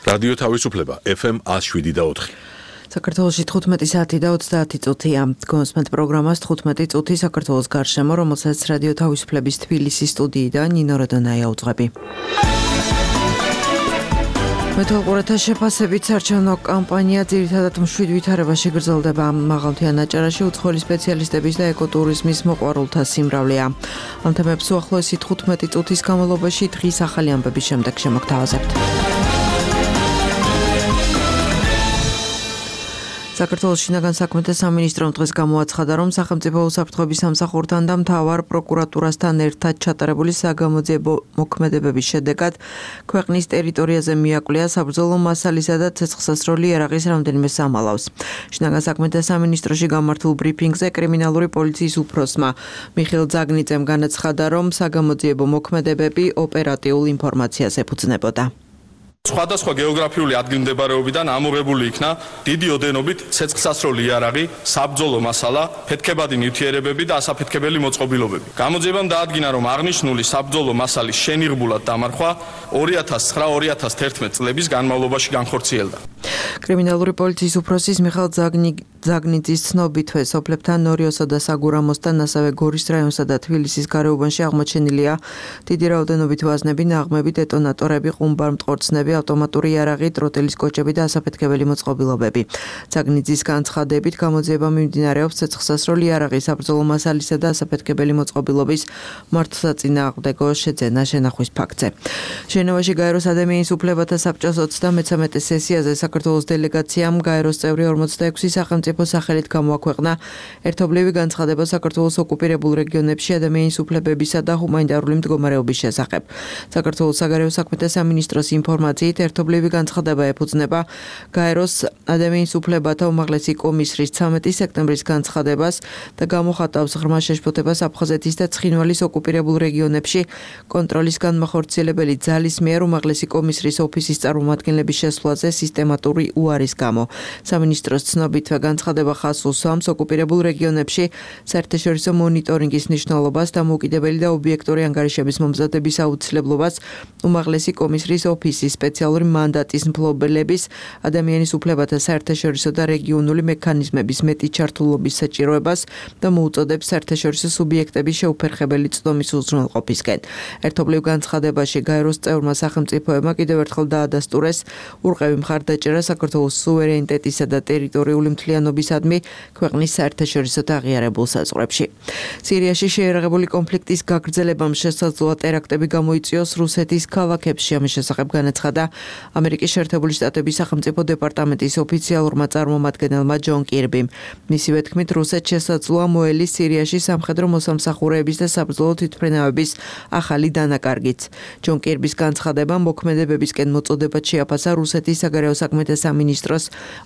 რადიო თავისუფლება FM 107.4. საქართველოში 15 საათი და 30 წუთია. გონსმენთ პროგრამას 15 წუთი საქართველოს გარშემო, რომელსაც რადიო თავისუფლების თბილისის სტუდიიდან ნინო როდონაია უძღვები. მეთვალყურეთა შეფასებით საარჩევნო კამპანია ძირითადად მშვიდ ვითარებაში გრძელდება. მაღალმთიან აჭარაში უცხოელი სპეციალისტების და ეკოტურიზმის მოყვარულთა სიმრავლეა. ამ თემებს უახლოესი 15 წუთის განმავლობაში დღის ახალი ამბების შემდეგ შემოგთავაზებთ. საქართველოს შინაგან საქმეთა სამინისტრომ დღეს გამოაცხადა, რომ სახელმწიფო უსაფრთხოების სამსახურთან და მთავარ პროკურატურასთან ერთად ჩატარებული საგამოძიებო მოქმედებების შედეგად ქვეყნის ტერიტორიაზე მიაკვლია საბრძოლო მასალისა და ცეცხლსასროლი იარაღის რამდენიმე სამალავს. შინაგან საქმეთა სამინისტროში გამართულ ბრიფინგზე კრიმინალური პოლიციის უფროსმა მიხეილ ძაგნიძემ განაცხადა, რომ საგამოძიებო მოქმედებები ოპერატიულ ინფორმაციას ეფუძნებოდა. სხვადასხვა გეოგრაფიული ადგილმდებარეობიდან ამოღებული იქნა დიდი ოდენობით ცეცხლსასროლი იარაღი, საბრძოლო მასალა, ფეთქებადი ნივთიერებები და ასაფეთქებელი მოწყობილობები. გამოძიებამ დაადგინა, რომ აღნიშნული საბრძოლო მასალის შენიღბულად დამარხვა 2009-2011 წლების განმავლობაში განხორციელდა. კრიმინალური პოლიციის უფროსის მიხეილ ძაგნიძის ცნობითვე სოფლებთან ნორიოსა და საგურამოსთან, ასევე გორის რაიონსა და თბილისის გარეუბანში აღმოჩენილია დიდი რაოდენობით ვაზნები, ნაღმები, დეტონატორები, ყუმბარ-მტყორცნები, ავტომატური იარაღი, ტროტილის კოჭები და ასაფეთქებელი მოწყობილობები. ძაგნიძის განცხადებით გამოძიება მიმდინარეობს ცეცხლსასროლი იარაღის, საბრძოლო მასალისა და ასაფეთქებელი მოწყობილობის მართლსაწინააღმდეგო შეძენა შენახვის ფაქტზე. ჟენევაში გაეროს ადამიანის უფლებათა საბჭოს 33 სესიაზე საქართველოს დელეგაციამ გაეროს წევრი 46 სახელმწიფო სახელით გამოაქვეყნა ერთობლივი განცხადება საქართველოს ოკუპირებულ რეგიონებში ადამიანის უფლებებისა და ჰუმანიტარული მდგომარეობის შესახებ. საქართველოს საგარეო საქმეთა სამინისტროს ინფორმაციით ერთობლივი განცხადება ეფუძნება გაეროს ადამიანის უფლებათა უმაღლესი კომისრის 13 სექტემბრის განცხადებას და გამოხატავს ღრმა შეშფოთებას აფხაზეთის და ცხინვალის ოკუპირებულ რეგიონებში კონტროლის განმახორციელებელი ძალის მიერ უმაღლესი კომისრის ოფისის წარმომადგენლების შესვლაზე სისტემატური უარის გამო. სამინისტროს ცნობითვე განცხადება ხაზს უსვამს ოკუპირებულ რეგიონებში საერთაშორისო მონიტორინგის მნიშვნელობას, დამოუკიდებელი და ობიექტური ანგარიშების მომზადების აუცილებლობას, უმაღლესი კომისრის ოფისის სპეციალური მანდატის მფლობელების, ადამიანის უფლებათა საერთაშორისო და რეგიონული მექანიზმების მეტი ჩართულობის საჭიროებას და მოუწოდებს საერთაშორისო სუბიექტების შეუფერხებელი წვდომის უზრუნველყოფისკენ. ერთობლივ განცხადებაში გაეროს წევრმა სახელმწიფოებმა კიდევ ერთხელ დაადასტურეს ურყევი მხარდაჭერა საქართველოს სუვერენიტეტისა და ტერიტორიული მთლიანობისადმი ქვეყნის საერთაშორისო და აღიარებულ საზღვრებში. სირიაში შეიარაღებული კონფლიქტის გაგრძელებამ შესაძლოა ტერაქტები გამოიწვიოს რუსეთის ქალაქებში. ამის შესახებ განაცხადა ამერიკის შეერთებული შტატების სახელმწიფო დეპარტამენტის ოფიციალურმა წარმომადგენელმა ჯონ კირბიმ. მისივე თქმით, რუსეთს შესაძლოა მოელის სირიაში სამხედრო მოსამსახურეების და საბრძოლო თვითმფრინავების ახალი დანაკარგიც. ჯონ კირბის განცხადებამ მოქმედებებისკენ მოწოდებად შეაფასა რუსეთის საგარეო საქმეთა სამინისტროს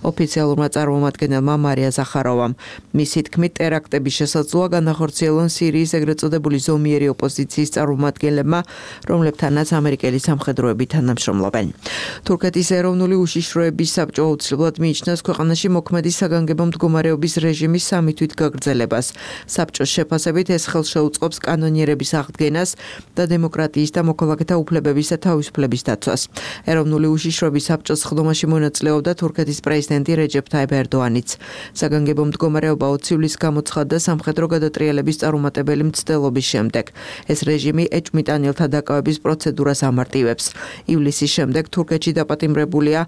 ოფიციალურმა წარმომადგენელმა მარია ზახაროვამ. მისი თქმით, ტერაქტების შესაძლოა განახორციელონ სირიის ეგრეთ წოდებული ზომიერი ოპოზიციის წარმომადგენლებმა, რომლებთანაც ამერიკელი სამხედროები თანამშრომლობენ. თურქეთის ეროვნული უშიშროების საბჭო აუცილებლად მიიჩნევს ქვეყანაში მოქმედი საგანგებო მდგომარეობის რეჟიმის 3 თვით გაგრძელებას. საბჭოს შეფასებით ეს ხელს შეუწყობს კანონიერების აღდგენას და დემოკრატიის და მოქალაქეთა უფლებების და თავისუფლების დაცვას. ეროვნული უშიშროების საბჭოს ხდომაში მონაწილეობდა თურქეთის პრეზიდენტი რეჯეფ ტაიპ ერდოანიც. საგანგებო მდგომარეობა 20 ივლისს გამოცხადდა სამხედრო გადატრიალების წარუმატებელი მცდელობის შემდეგ. ეს რეჟიმი ეჭვმიტანილთა დაკავების პროცედურას ამარტივებს. ივლისის შემდეგ თურქეთში დაპატიმრებულია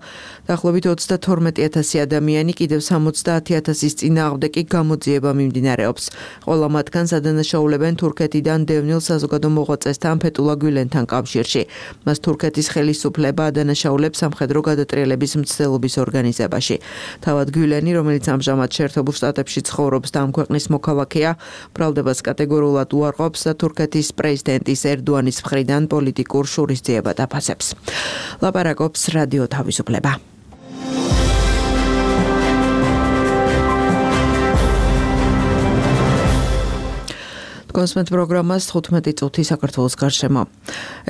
დაახლოებით 32,000 ადამიანი, კიდევ 70,000-ის წინააღმდეგ კი გამოძიება მიმდინარეობს. ყველა მათგანს ადანაშაულებენ თურქეთიდან დევნილ საზოგადო მოღვაწესთან ფეტულა გულენთან კავშირში. მას თურქეთის ხელისუფლება ადანაშაულებს სამხედრო გადატრიალების მცდელობის ორგანიზებაში. თავად გულენი, რომელიც ამჟამად შეერთებულ შტატებში ცხოვრობს და ამ ქვეყნის მოქალაქეა, ბრალდებას კატეგორიულად უარყოფს და თურქეთის პრეზიდენტის ერდოანის მხრიდან პოლიტიკურ შურისძიებად აფასებს. ლაპარაკობს რადიო თავისუფლება. კონსმეთ პროგრამას 15 წუთი საქართველოს გარშემო.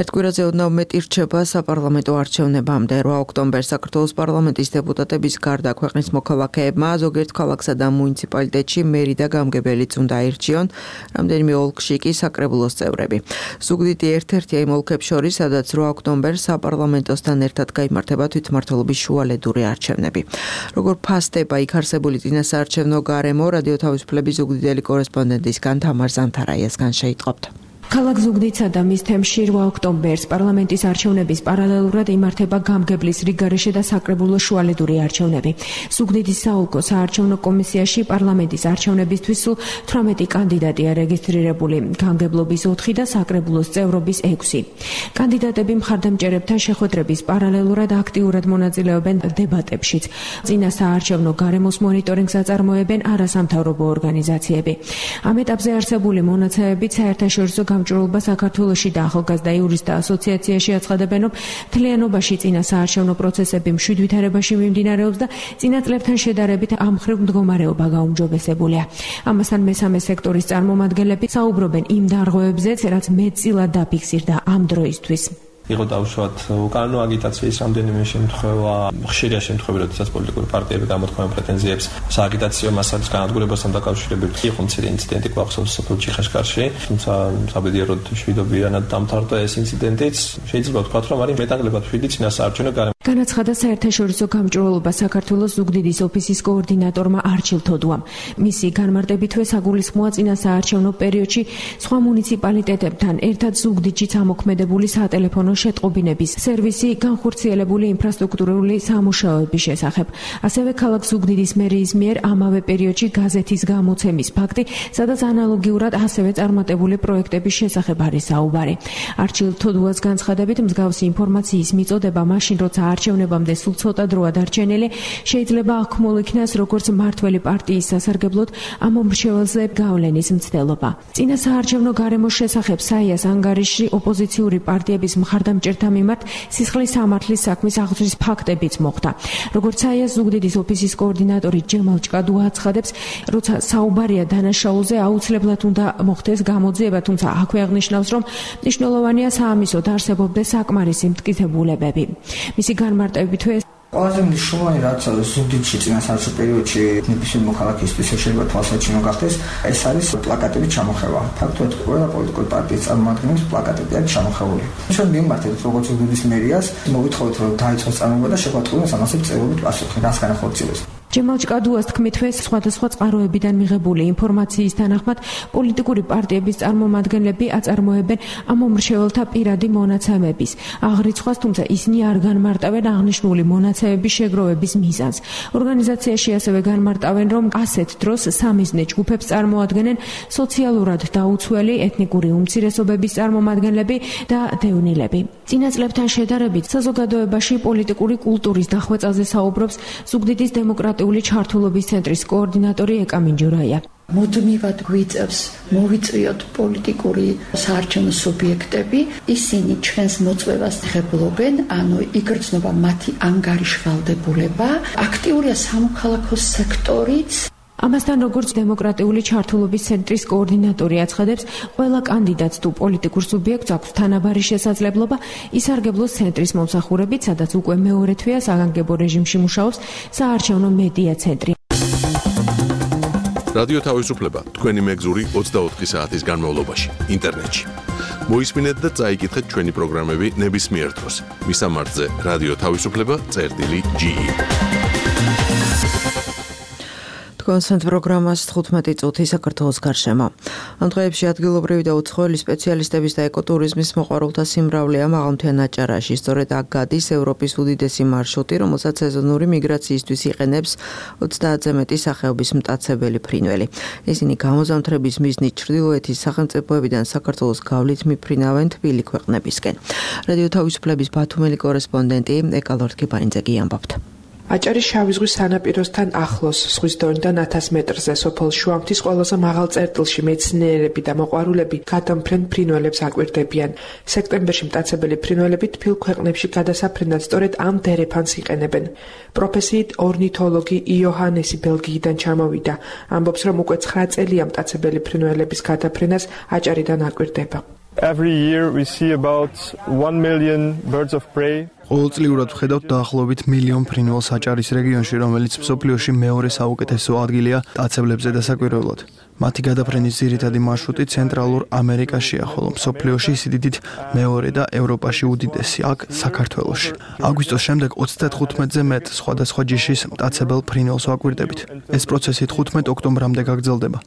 ერთ კვირაზე ოდნავ მეტი რჩება საპარლამენტო არჩევნებამდე. 8 ოქტომბერს საქართველოს პარლამენტის დეპუტატების გარდა ქვეყნის მოქალაქეებმა ზოგიერთ ქალაქსა და მუნიციპალიტეტში მერი და გამგებელიც უნდა აირჩიონ, რამდენიმე ოლქში კი საკრებულოს წევრები. ზუგდიდი ერთ-ერთია იმ ოლქებს შორის, სადაც 8 ოქტომბერს საპარლამენტოსთან ერთად გაიმართება თვითმმართველობის შუალედური არჩევნები. როგორ ფასდება იქ არსებული წინასაარჩევნო გარემო, რადიო თავისუფლების ზუგდიდელი კორესპონდენტისგან თამარ ზანთარაიასგან შეიტყობთ. ქალაქ ზუგდიდსა და მის თემში 8 ოქტომბერს პარლამენტის არჩევნების პარალელურად იმართება გამგებლის რიგგარეშე და საკრებულოს შუალედური არჩევნები. ზუგდიდის საოლქო საარჩევნო კომისიაში პარლამენტის არჩევნებისთვის სულ 18 კანდიდატია რეგისტრირებული, გამგებლობის 4 და საკრებულოს წევრობის 6. კანდიდატები მხარდამჭერებთან შეხვედრების პარალელურად აქტიურად მონაწილეობენ დებატებშიც. წინა საარჩევნო გარემოს მონიტორინგს აწარმოებენ არასამთავრობო ორგანიზაციები. ამ ეტაპზე არსებული მონაცემებით საერთაშორისო გამჭვირვალობა საქართველოში და ახალგაზრდა იურისტთა ასოციაციაში აცხადებენ, რომ მთლიანობაში წინა საარჩევნო პროცესები მშვიდ ვითარებაში მიმდინარეობს და წინა წლებთან შედარებით ამ მხრივ მდგომარეობა გაუმჯობესებულია. ამასთან მესამე სექტორის წარმომადგენლები საუბრობენ იმ დარღვევებზეც, რაც მეტწილად დაფიქსირდა ამ დროისთვის. იყო დაუშვათ უკანონო აგიტაციის რამდენიმე შემთხვევა, ხშირია შემთხვევები, როდესაც პოლიტიკური პარტიები გამოთქვამენ პრეტენზიებს სააგიტაციო მასალის განადგურებასთან დაკავშირებით. იყო მცირე ინციდენტი გვახსოვს სოფელ ჩიხაშკარში, თუმცა საბედიეროდ მშვიდობიანად დამთავრდა ეს ინციდენტიც. შეიძლება ვთქვათ, რომ არის მეტანგლებად მშვიდი წინასაარჩევნო გარემო. განაცხადა საერთაშორისო გამჭვირვალობა საქართველოს ზუგდიდის ოფისის კოორდინატორმა არჩილ თოდუამ. მისი განმარტებითვე საგულისხმოა წინასაარჩევნო პერიოდში სხვა მუნიციპალიტეტებთან ერთად ზუგდიდშიც ამოქმედებული სატელეფონო შეტყობინების სერვისი განხორციელებული ინფრასტრუქტურული სამუშაოების შესახებ. ასევე ქალაქ ზუგდიდის მერიის მიერ ამავე პერიოდში გაზეთის გამოცემის ფაქტი, სადაც ანალოგიურად ასევე წარმატებული პროექტების შესახებ არის საუბარი. არჩილ თოდუას განცხადებით, მსგავსი ინფორმაციის მიწოდება მაშინ, როცა არჩევნებამდე სულ ცოტა დროა დარჩენილი, შეიძლება აღქმულ იქნას როგორც მმართველი პარტიის სასარგებლოდ ამ მომრჩეველზე გავლენის მცდელობა. წინა საარჩევნო გარემოს შესახებ საიას ანგარიშში ოპოზიციური პარტიების მხარდამჭერთა მიმართ სისხლის სამართლის საქმის აღძვრის ფაქტებიც მოხდა. როგორც საიას ზუგდიდის ოფისის კოორდინატორი ჯემალ ჭკადუა აცხადებს, როცა საუბარია დანაშაულზე, აუცილებლად უნდა მოხდეს გამოძიება, თუმცა აქვე აღნიშნავს, რომ მნიშვნელოვანია საამისოდ არსებობდეს საკმარისი მტკიცებულებები. მისი განმარტებითვე ყველაზე მნიშვნელოვანი რაც ზუგდიდში წინასაარჩევნო პერიოდში ნებისმიერ მოქალაქისთვის შეიძლება თვალსაჩინო გახდეს, ეს არის პლაკატების ჩამოხევა. ფაქტობრივად ყველა პოლიტიკური პარტიის წარმომადგენლებს პლაკატები აქვს ჩამოხეული. ჩვენ მიმართეთ როგორც ზუგდიდის მერიას, მოვითხოვეთ რომ დაიწყოს წარმოება და შეგვაწყვეტოს ამასე წევრობით პასუხი, რას განახორციელოს. ჯემალ ჭკადუას თქმითვე სხვადასხვა წყაროებიდან მიღებული ინფორმაციის თანახმად პოლიტიკური პარტიების წარმომადგენლები აწარმოებენ ამ მომრჩეველთა პირადი მონაცემების აღრიცხვას, თუმცა ისინი არ განმარტავენ აღნიშნული მონაცემების შეგროვების მიზანს. ორგანიზაციაში ასევე განმარტავენ, რომ ასეთ დროს სამიზნე ჯგუფებს წარმოადგენენ სოციალურად დაუცველი ეთნიკური უმცირესობების წარმომადგენლები და დევნილები. წინა წლებთან შედარებით საზოგადოებაში პოლიტიკური კულტურის დახვეწაზე საუბრობს ზუგდიდის დემოკრატიული ჩართულობის ცენტრის კოორდინატორი ეკა მინჯურაია. მუდმივად გვიწევს მოვიწვიოთ პოლიტიკური საარჩევნო სუბიექტები, ისინი ჩვენს მოწვევას ღებულობენ, ანუ იგრძნობა მათი ანგარიშვალდებულება, აქტიურია სამოქალაქო სექტორიც. ამასთან, როგორც დემოკრატიული ჩართულობის ცენტრის კოორდინატორი აცხადებს, ყველა კანდიდატს თუ პოლიტიკურ სუბიექტს აქვს თანაბარი შესაძლებლობა ისარგებლოს ცენტრის მომსახურებით, სადაც უკვე მეორე თვეა საგანგებო რეჟიმში მუშაობს საარჩევნო მედია ცენტრი. რადიო თავისუფლება თქვენი მეგზური 24 საათის განმავლობაში ინტერნეტში. მოისმინეთ და წაიკითხეთ ჩვენი პროგრამები ნებისმიერ დროს. მისამართზე რადიო თავისუფლება.ge კონსენტ პროგრამას 15 წუთი საქართველოს გარშემო. ამ დღეებში ადგილობრივი და უცხოელი სპეციალისტების და ეკოტურიზმის მოყვარულთა სიმრავლეა მაღალმთიან აჭარაში. სწორედ აქ გადის ევროპის უდიდესი მარშრუტი, რომელსაც სეზონური მიგრაციისთვის იყენებს 30-ზე მეტი სახეობის მტაცებელი ფრინველი. ისინი გამოზამთრების მიზნით ჩრდილოეთის სახელმწიფოებიდან საქართველოს გავლით მიფრინავენ თბილი ქვეყნებისკენ. რადიო თავისუფლების ბათუმელი კორესპონდენტი ეკა ლორთქებაინძე ამბობთ. აჭარის შავი ზღვის სანაპიროსთან ახლოს, ზღვის დონიდან 1000 მეტრზე, სოფელ შუამთის ყველაზე მაღალ წერტილში მეცნიერები და მოყვარულები გადამფრენ ფრინველებს აკვირდებიან. სექტემბერში მტაცებელი ფრინველები თბილ ქვეყნებში გადასაფრენად სწორედ ამ დერეფანს იყენებენ. პროფესიით ორნითოლოგი იოჰანესი ბელგიიდან ჩამოვიდა. ამბობს, რომ უკვე 9 წელია მტაცებელი ფრინველების გადაფრენას აჭარიდან აკვირდება. Every year we see about 1 million birds of prey. ყოველწლიურად ვხედავთ დაახლოებით მილიონ ფრინველს აჭარის რეგიონში, რომელიც მსოფლიოში მეორე საუკეთესო ადგილია მტაცებლებზე დასაკვირვებლად. მათი გადაფრენის ძირითადი მარშრუტი ცენტრალურ ამერიკაშია, ხოლო მსოფლიოში სიდიდით მეორე და ევროპაში უდიდესი, აქ საქართველოში. აგვისტოს შემდეგ 35-ზე მეტ სხვადასხვა ჯიშის მტაცებელ ფრინველს ვაკვირდებით. ეს პროცესი 15 ოქტომბრამდე გაგრძელდება.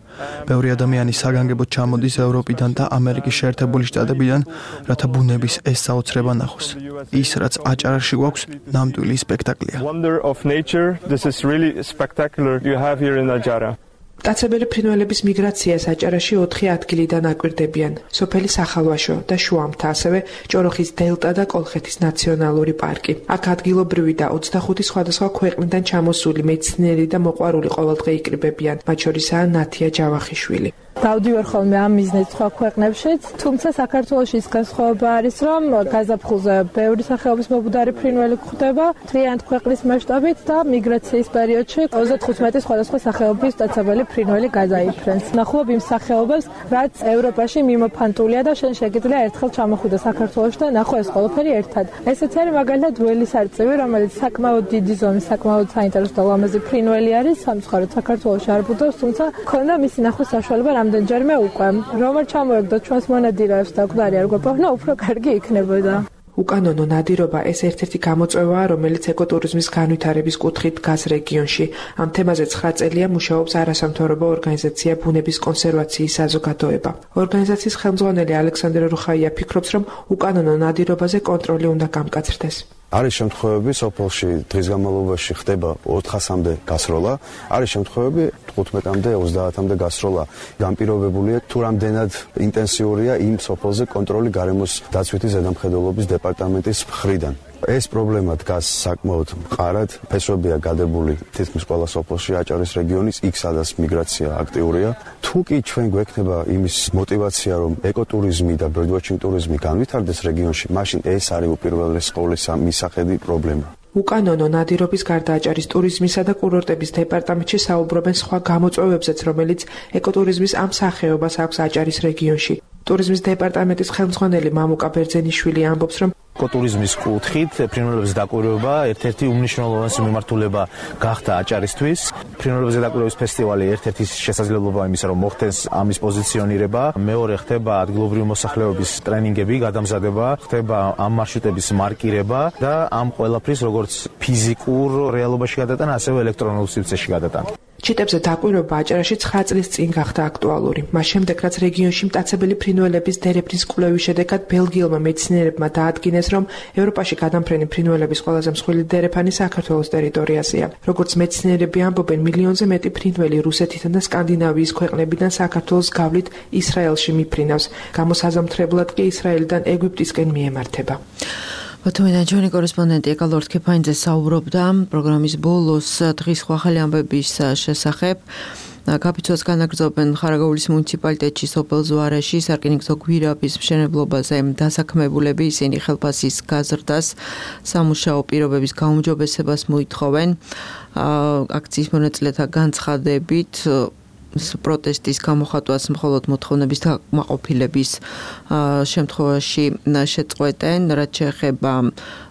ბევრი ადამიანი საგანგებოდ ჩამოდის ევროპიდან და ამერიკის შეერთებული შტატებიდან, რათა ბუნების ეს საოცრება ნახოს. ის, რაც აჭარაში გვაქვს, ნამდვილი სპექტაკლია. Wonder of nature. This is really spectacular you have here in Ajara. მტაცებელი ფრინველების მიგრაციას აჭარაში 4 ადგილიდან აკვირდებიან: სოფელი სახალვაშო და შუამთა, ასევე ჭოროხის დელტა და კოლხეთის ნაციონალური პარკი. აქ ადგილობრივი და 25 სხვადასხვა ქვეყნიდან ჩამოსული მეცნიერი და მოყვარული ყოველდღე იკრიბებიან, მათ შორისაა ნათია ჯავახიშვილი. დავდივარ ხოლმე ამ მიზნით სხვა ქვეყნებშიც, თუმცა საქართველოში ის განსხვავება არის, რომ გაზაფხულზე ბევრი სახეობის მობუდარი ფრინველი გვხვდება, მთლიანად ქვეყნის მასშტაბით და მიგრაციის პერიოდში 35 სხვადასხვა სახეობის მტაცებელი ფრინველი გადაიფრენს. ნახულობ იმ სახეობებს, რაც ევროპაში მიმოფანტულია და შენ შეგიძლია ერთხელ ჩამოხვიდე საქართველოში და ნახო ეს ყველაფერი ერთად. ესეც არის მაგალითად ველის არწივი, რომელიც საკმაოდ დიდი ზომის, საკმაოდ საინტერესო და ლამაზი ფრინველი არის, სამწუხაროდ საქართველოში არ ბუდობს, თუმცა ქონდა მისი ნახვის საშუალება რამდენჯერმე უკვე. რომ არ ჩამოეგდოთ ჩვენს მონადირეებს და გვარი არ გვეპოვნა, უფრო კარგი იქნებოდა. უკანონო ნადირობა ეს ერთ-ერთი გამოწვევაა, რომელიც ეკოტურიზმის განვითარების კუთხით დგას რეგიონში. ამ თემაზე 9 წელია მუშაობს არასამთავრობო ორგანიზაცია ბუნების კონსერვაციის საზოგადოება. ორგანიზაციის ხელმძღვანელი ალექსანდრე რუხაია ფიქრობს, რომ უკანონო ნადირობაზე კონტროლი უნდა გამკაცრდეს. არის შემთხვევები, სოფელში დღის განმავლობაში ხდება 400-მდე გასროლა, არის შემთხვევები 15-მდე, 30-მდე გასროლა. განპირობებულია თუ რამდენად ინტენსიურია იმ სოფელზე კონტროლი გარემოს დაცვითი ზედამხედველობის დეპარტამენტის მხრიდან. ეს პრობლემა დგას საკმაოდ მყარად, ფესვებია გადებული თითქმის ყველა სოფელში აჭარის რეგიონის, იქ სადაც მიგრაცია აქტიურია. თუ კი ჩვენ გვექნება იმის мотиваცია, რომ ეკოტურიზმი და ბერდვაჩინგ ტურიზმი განვითარდეს რეგიონში, მაშინ ეს არის უპირველეს ყოვლისა მისახედი პრობლემა. უკანონო ნადირობის გარდა აჭარის ტურიზმისა და კურორტების დეპარტამენტში საუბრობენ სხვა გამოწვევებზეც, რომელიც ეკოტურიზმის ამ სახეობას აქვს აჭარის რეგიონში. ტურიზმის დეპარტამენტის ხელმძღვანელი მამუკა ბერძენიშვილი ამბობს, რომ ეკოტურიზმის კუთხით ფრინველების დაკვირვება ერთ-ერთი უმნიშვნელოვანესი მიმართულება გახდა აჭარისთვის. ფრინველების დაკვირვების ფესტივალი ერთ-ერთი შესაძლებლობა იმისა, რომ მოხდეს ამის პოზიციონირება, მეორე ხდება ადგილობრივი მოსახლეობის ტრენინგები, გადამზადება, ხდება ამ მარშრუტების მარკირება და ამ ყველაფრის როგორც ფიზიკურ რეალობაში გადატანა, ასევე ელექტრონულ სივრცეში გადატანა. ჩიტებზე დაკვირვება აჭარაში 9 წლის წინ გახდა აქტუალური. მას შემდეგ, რაც რეგიონში მტაცებელი ფრინველების დერეფნის კვლევის შედეგად ბელგიელმა მეცნიერებმა დაადგინეს, რომ ევროპაში გადამფრენი ფრინველების ყველაზე მსხვილი დერეფანი საქართველოს ტერიტორიაზეა. როგორც მეცნიერები ამბობენ, მილიონზე მეტი ფრინველი რუსეთიდან და სკანდინავიის ქვეყნებიდან საქართველოს გავლით ისრაელში მიფრინავს. გამოსაზამთრებლად კი ისრაელიდან ეგვიპტისკენ მიემართება. ბათუმიდან ჩვენი კორესპონდენტი ეკა ლორთქეფაინძე საუბრობდა პროგრამის ბოლოს დღის ახალი ამბების შესახებ. კაპიცუას განაგრძობენ ხარაგაულის მუნიციპალიტეტში სოფელ ზვარეში სარკინიგზო გვირაბის მშენებლობაზე დასაქმებულები, ისინი ხელფასის გაზრდას, სამუშაო პირობების გაუმჯობესებას მოითხოვენ. აქციის მონაწილეთა განცხადებით პროტესტის გამოხატვას მხოლოდ მოთხოვნების დაკმაყოფილების შემთხვევაში შეწყვეტენ, რაც შეეხება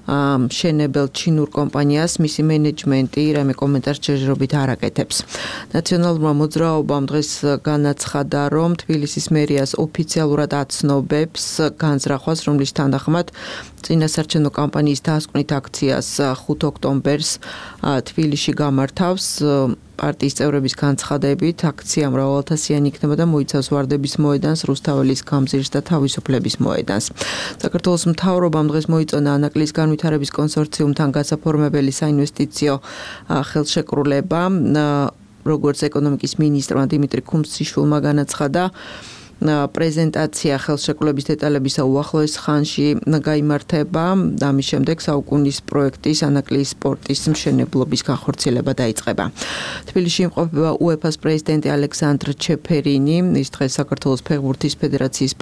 მშენებელ ჩინურ კომპანიას, მისი მენეჯმენტი რამე კომენტარს ჯერჯერობით არ აკეთებს. ნაციონალურმა მოძრაობამ დღეს განაცხადა, რომ თბილისის მერიას ოფიციალურად აცნობებს განზრახვას, რომლის თანახმად წინასარჩენო კამპანიის დასკვნით აქციას 5 ოქტომბერს თბილისში გამართავს. პარტიის წევრების განცხადებით, აქცია მრავალათასიანი იქნება და მოიცავს ვარდების მოედანს, რუსთაველის გამზირს და თავისუფლების მოედანს. საქართველოს მთავრობამ დღეს მოიწონა ანაკლის განვითარების კონსორციუმთან გასაფორმებელი საინვესტიციო ხელშეკრულება, როგორც ეკონომიკის მინისტრმა დიმიტრი ქუმსიშვილმა განაცხადა. პრეზენტაცია ხელშეკრულების დეტალებისა უახლოეს ხანში გაიმართება. ამის შემდეგ საუკუნის პროექტის ანაკლიის სპორტის მშენებლობის განხორციელება დაიწყება. თბილისში იმყოფება UEFA-ს პრეზიდენტი ალექსანდრ ჩეფერინი. ის დღეს საქართველოს ფეხბურთის ფედერაციის